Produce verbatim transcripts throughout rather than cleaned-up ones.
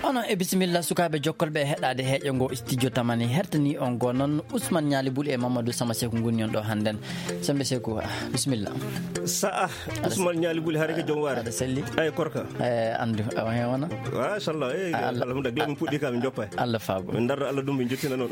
Onon e bisimilla, sukaaɓe jokkolɓe e heɗaade heeƴo ngo studio Tamani. Hertanii on goo noon, Ousmane Ñaali Buli e Mamadou Sama Seku ngoni on ɗo hannden. Sembe Seku, ah, bisimilla. Sa'a, Ousmane Ñaali Buli, hare ko jom waare. Aɗa selli. Ay, korka. Eh, anndu, awa heen wona. Machallah, eh, Allah, alhamdulillah, gila min puɗɗi ka min joppa. Allah faabo. Min darra Allah ɗum, min jottina noon.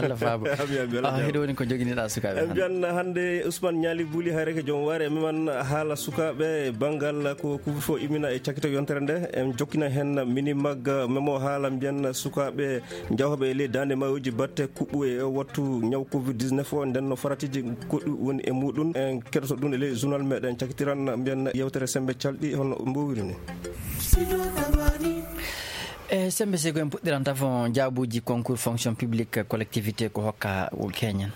Allah faabo. Ami, ami, Allah Ah, jaaraama. Hiɗo woni ko joginiɗaa sukaaɓe En hannde? Mbiyan hannde Ousmane Ñaali Buli, hare ko jom waare, mi man haala sukaaɓe, banngal ko couvre-feu immina e cakkito yontere nde. En jokkina heen minimag, memo haala mbiyan sukaaɓe jawooɓe e ley daande maayooji batte kuɓɓu e wattu ñaw covid dix-neuf o, nden no faratiiji goɗɗi woni e muɗum. En keɗoto ɗum e ley journal meɗen, cakkitiran mbiyan yewtere sembe calɗi hono mbowiri ni. E sembe sego en puɗɗiran tafo jaabuuji concours fonction publique collectivité ko hokka keñen.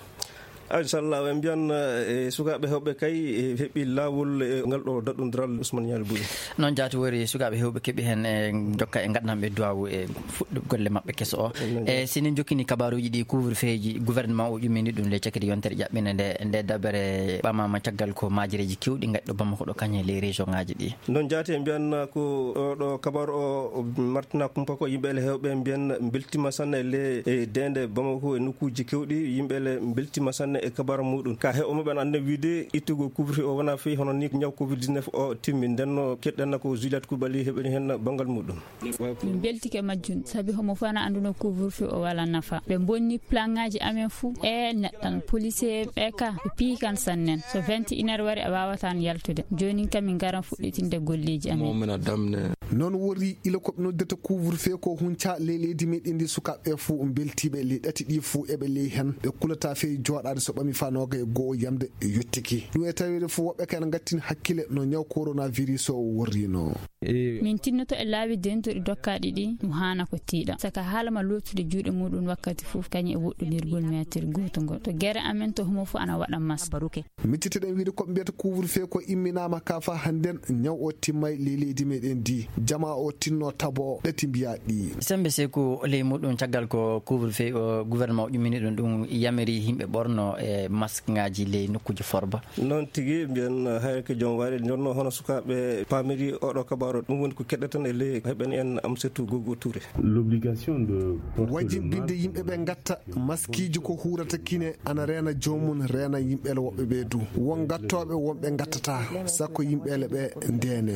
Inchallah, en mbiyan, eh, sukaaɓe heewɓe kay, eh, heɓi laawol, eh, ngal ɗo daɗɗondiral Ousmane Ñaali Buli. Noon jaati wori sukaaɓe heewɓe keɓi heen, eh, jokka e ngaɗanɓe duwaawu e fuɗɗo golle maɓɓe keso o. Noon E jaati. Si en jokkini kabaaruuji ɗi couvre-feuji gouvernement o ƴummini ɗum le cakiri yontere ƴaɓɓinde nde, nde dabere ɓamaama caggal ko maajereeji kewɗi ngaɗɗo Bamako ɗo kañe ley région ngaji ɗi. Noon jaati en mbiyan ko oɗo kabaaru o, o martina kumpa ko yimɓe ele heewɓe mbiyan mbeltima sanne le e deende Bamako e nokkuuji kewɗi. Yimɓe ele mbeltima sanne e kabaaru muɗum. Ka heewo maɓɓe ana annda wiide ittugol couvre-feu o wona fewi hono ni ñaw covid dix-neuf o timmi. Nden no keɗɗen ko Juliette Koulibaly heɓani heen banngal muɗum. Min mbeltike majjum, sabi homo fof ana annduno couvre-feu o wala nafa. Ɓe mbonni plan ngaji amen fuu. E neɗɗan, policier ɓe ka, ɓe piyi kan sannen. So vingt et une heures wari, a wawata an yaltude. Jooni kam min ngaran fuɗɗitinde golleji amen. Momina Damne. Noon wori ila ko ɓe noddata couvre-feu ko hunca ley leydi meɗen ndi, sukaaɓe fuu mbeltiiɓe ley ɗati ɗi fuu eɓe ley heen. Ɓe kulata fey jooɗaade so ɓami fanooga e goo yamde e yottiki. Ɗum e taweede fuu woɓɓe kay ana ngattin hakkille no ñaw coronavirus o worrino. Min tinnoto e laabi dentuɗi dokkaaɗi ɗi, ɗum haana ko tiiɗa. Saka haala ma lootude juuɗe muɗum wakkati fof, kañum e woɗɗondirgol meetir gooto ngol. To gere amen to homo fof ana waɗa masque. Miccitoɗen wiide ko ɓe mbiyata couvre-feu ko imminaama ka faa hannden, ñaw o timmay ley leydi meɗen ndi. Jama o tinno tabo o ɗati mbiya ɗi. Sembe Seku ley muɗum caggal ko couvre-feu o gouvernement o ƴummini ɗum, ɗum yamiri yimɓe ɓorno e masque ngaji ley nokkuji forba. Noon tigi, mbiyen, eh, hay ko jom waari, jonno hono sukaaɓe paamiri oɗo kabaaru, ɗum woni ko keɗɗeten e ley heɓen en Amsatou Gogo Touré. L'obligation de porter le Wajibinde masque yimɓe ɓe ngatta maskiiji ko huurata kine, ana reena joomum, reena yimɓe woɓɓe ɓe du. Won gattooɓe, wonɓe ngattataa, sakko yimɓe ɓe ndeene.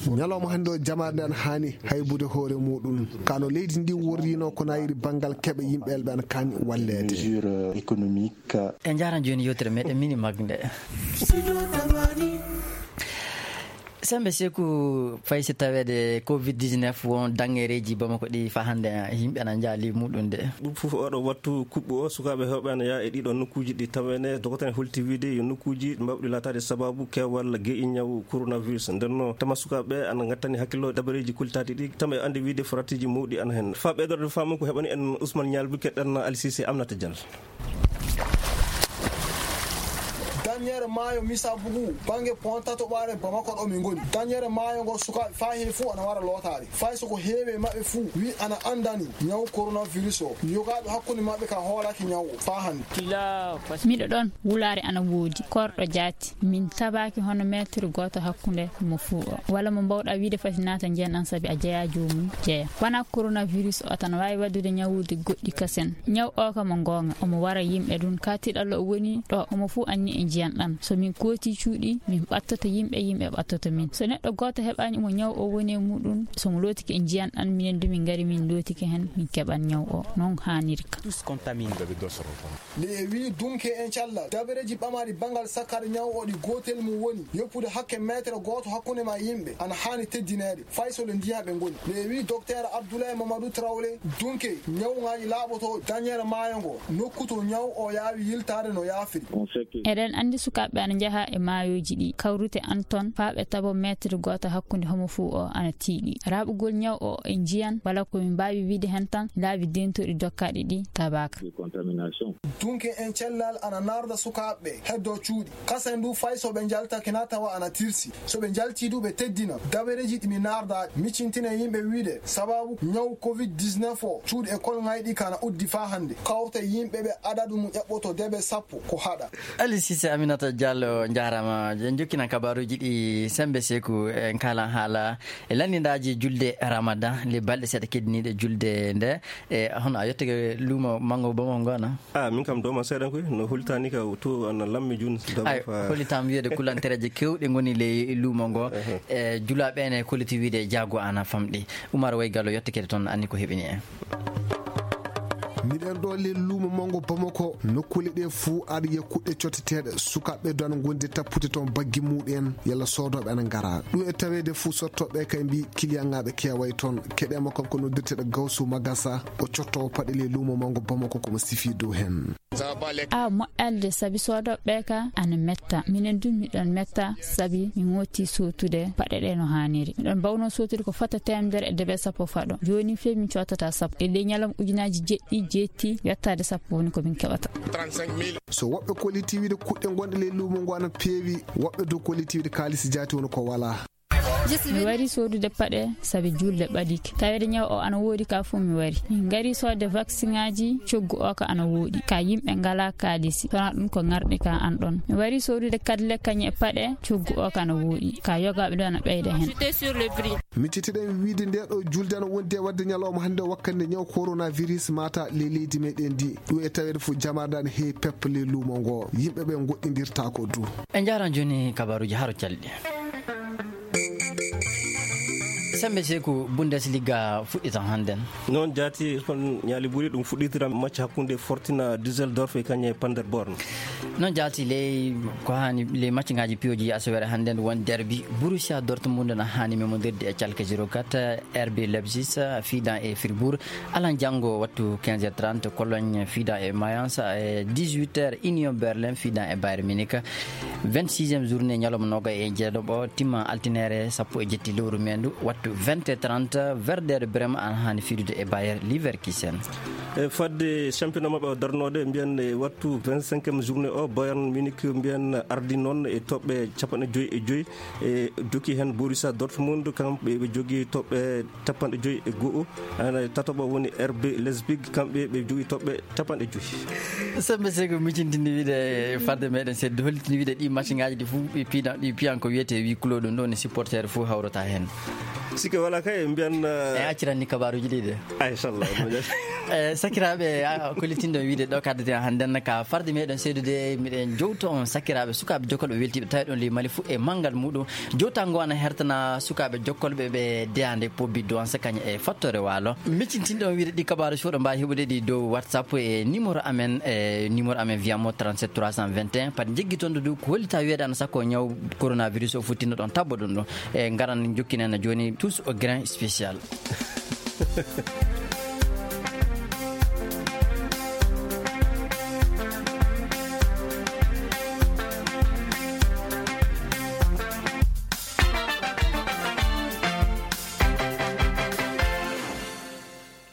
Ñalawma hannde o jamaare nde ana haani haybude hoore muɗum. Kano leydi ndi worrino ko nayiri banngal keɓe yimɓe ɓe ana kaani walleede. Mesure, euh, économique. En njaran jooni yewtere meɗen mini mag nde. Sembe Seku, fay si taweede covid dix-neuf won dangereeji Bamako ɗi fa hannde yimɓe ana njaali muɗum de. Ɗum fof oɗo wattu kuɓɓu o, sukaaɓe heewɓe ana yaa e ɗiɗo nokkuuji ɗi tawene dogoten holti wiide yo nokkuuji mbawɗi laataade sababu keewal geƴi ñaw coronavirus. Nden no tama sukaaɓe ana ngattani hakkillo dabareeji kultaaɗi ɗi, tama e ande wiide faratiiji mawɗi ana hen. Fa ɓeydorde faamu ko heɓani en Ousmane Ñalbu keɗɗan Alisise Amnata Diallo. Danñere maayo Misabugu, bannge Ponta to ɓaare Bamako ɗo min ngoni. Danñere maayo ngo sukaaɓe faa hee fuu ana wara lootaade. Fay so ko heewi e maɓɓe fuu wi ana anndani ñaw coronavirus o. Yogaaɓe hakkunde maɓɓe ka hoolaaki ñaw o faa hannde. Miɗo ɗon, wulaare ana woodi, korɗo jaati. Min tabaaki hono meetir gooto hakkunde mo fuu o. Wala mo mbawɗa wiide fati naata njiyan an sabi a jeyaa joomum jeya. Wanaa coronavirus o tan waawi waɗude ñawuuji goɗɗi kasen. Ñaw o ka mo goonga, omo wara yimɓe ɗun. Ka tiiɗalla o woni ɗo, omo fof anni e njiyan ɗan. So min kooti cuuɗi, min ɓattoto yimɓe, yimɓe ɓattoto min. So neɗɗo gooto heɓaani mo ñaw o woni e muɗum, so mo lootike e njiyan ɗan, minen du min ngari min lootike hen, min keɓan ñaw o. Non haaniri ka. Tous contaminés. Nde e wii dunke en callal, dabareeji ɓamaaɗi banngal sakkare ñaw o ɗi gootel mum woni yoppude hakke meetere gooto hakkunde ma e yimɓe, ana haani teddineede, fay so le ndiyan ɓe ngoni. Nde e wii Docteur Abdoulaye Mamadou Traoré, dunke ñawŋaaji laaɓoto dañere maayo ngo, nokku to ñaw o yaawi yiltaade no yaafiri. Eɗen anndi sukaaɓe ana njaha e maayooji ɗi, kawrute an ton, faa ɓe tabo meetere gooto hakkunde homo fuu o ana tiiɗi. Raaɓugol ñaw o e njiyan, wala ko min mbaawi wiide hen tan, laabi dentuɗi dokkaaɗi ɗi tabaaka. Dunke en cellal ana narda sukaaɓe ɓe heddo cuuɗi. Kasen du fay so ɓe njaltake na tawa ana tirsi. So ɓe njalti du ɓe teddina. Dabareeji ɗi mi narda miccintine yimɓe wiide sababu ñaw covid dix-neuf o cuuɗi e kolŋayɗi kana uddi faa hannde. Kawrte yimɓe ɓe adadu mum eɓɓoto debe sappo ko haɗa. Ali Cissé, Minata Diallo, njaaraama. En njokkinan kabaaruuji ɗi, Sembe Seku, en kaalan haala e lanndindaaji julde Ramadan, le balɗe seeɗa keddiniiɗe julde nde. E hono a yettike luumo manngo Bamako ngo na? Ah, min kam dooma seeɗan koy, no holitaani ka to ana lammi jun. Ay, holitaama wiyeede kulantereeje keewɗe ngoni ley luumo ngo. E julaaɓe ene koliti wiyeede jaago ana famɗi. Umar Way Gallo yettikeede toon, anni ko heɓini en. Miɗen ɗo le luumo manngo Bamako, nokkuule ɗe fuu aɗa yiya kuɗɗe cotteteeɗe, sukaaɓe ɓe dona ngonde tappute toon baggi muɗen, yalla soodooɓe ana ngara. Ɗum e taweede fuu sottooɓe kay mbi kiliyanŋaaɓe keeway toon. Keɗeema kam ko noddirteeɗo Gawsu Magasa, o cottoowo paɗe le luumo manngo Bamako, ko mo sifi dow heen. A moƴƴalde sabi soodooɓe ɓe ka ana metta. Minen du miɗon metta sabi mi ŋooti sootude paɗe ɗe no haaniri. Miɗon mbawno sootude ko fota teemedere e debe sappo faɗo. Jooni fey min cootata sappo. E ley ñalawma ujunaaji jeɗɗi, jeetti, yottaade sappo woni ko min keɓata. So woɓɓe koliti wiide kuɗɗe gonɗe ley luumo ngo ana peewi, woɓɓe du koliti wiide kaalisi jaati woni ko walaa. Mi wari soodude paɗe sabi julde ɓadike. Taweede ñaw o ana woodi ka fof mi wari. Min ngari soodde vaccin ŋaaji, coggu o ka ana woodi. Ka yimɓe ngala kaalisi. Sona ɗum ko ŋarɗi ka an ɗon. Mi wari soodude kadle kañe e paɗe, coggu o ka ana woodi. Ka yogaaɓe ɗo ana ɓeyda hen. Miccitiɗen wiide nde ɗo julde ana wondi e waɗde ñalawma hannde wakkati nde ñaw coronavirus mata ley leydi meɗen ndi. Ɗum e taweede fof jamaade ana heewi peppa ley luumo ngo. Yimɓe ɓe ngoɗɗindirtaako du. En njaaran jooni kabaaruuji haro calɗi. Sembe Seku, Bundesliga fuɗɗitan hannden. Noon jaati, kon ñaali ɓuri ɗum fuɗɗitira match hakkunde Fortuna Düsseldorf e kañe Paderborn. Noon jaati ley ko haani ley match ngaaji piyoji asawere hannden won derbi. Borussia Dortmund na haani memondirde e Schalke zéro quatre, R B Leipzig fiidan e Fribourg. Alan janngo wattu quinze heures trente, Cologne fiidan e Mayence, e dix-huit heures Union Berlin fiidan e Bayern Munich. Vingt-sixième journée ñalawma noga e jeeɗiɗo timma altine sappo e jeeɗiɗi lewru meendu, wattu vingt et trente, Werder Bremen ana haani fiidude e Bayer Leverkusen. E fadde championnat maɓɓe o darnoode, mbiyen e wattu vingt-cinquième journée o, Bayern Munich mbiyen ardi noon e toɓɓe capanɗe joyi e joyi, e jokki heen Borussia Dortmund, kamɓe ɓe jogii toɓɓe capanɗe joyi e go'o. Ana tataɓo woni R B Leipzig, kamɓe ɓe jogii toɓɓe capanɗe joyi. Sembe Seku, miccitinde wiide fadde meɗen seeɗa, hollitinde wiide ɗi match ngaaji ɗi fof ɗi piidan, ɗi piyan ko wiyetee huis clos, ɗum ɗo ne supporter fof hawrata heen. Sikke wala kay, mbiyan, eh, e acciranni kabaaruuji ɗi de. Ay, inchallah. Eh, sakiraaɓe, a, ko liltinɗo wiide ɗo kaddeten hannden ka farde meɗen seedude, miɗen jowto on sakiraaɓe, sukaaɓe jokkolɓe weltiiɓe tawi ɗon ley Mali fof e manngal muɗum. Jowtango ana hertana sukaaɓe jokkolɓe ɓe deyaande pobbi duwansa kañum e fattoore waalo. Miccintinɗo on wiide ɗi kabaaru soɗo mbaawi heɓude ɗi dow WhatsApp e numéro amen, e numéro amen wiyamo trente-sept trois cent vingt et un. Pat jeggitonɗo du ko hollita wiyeede ana sakko ñaw coronavirus o futtinno ɗon tabbo ɗum ɗum. E ngaran jokkinen jooni tous au grain spécial.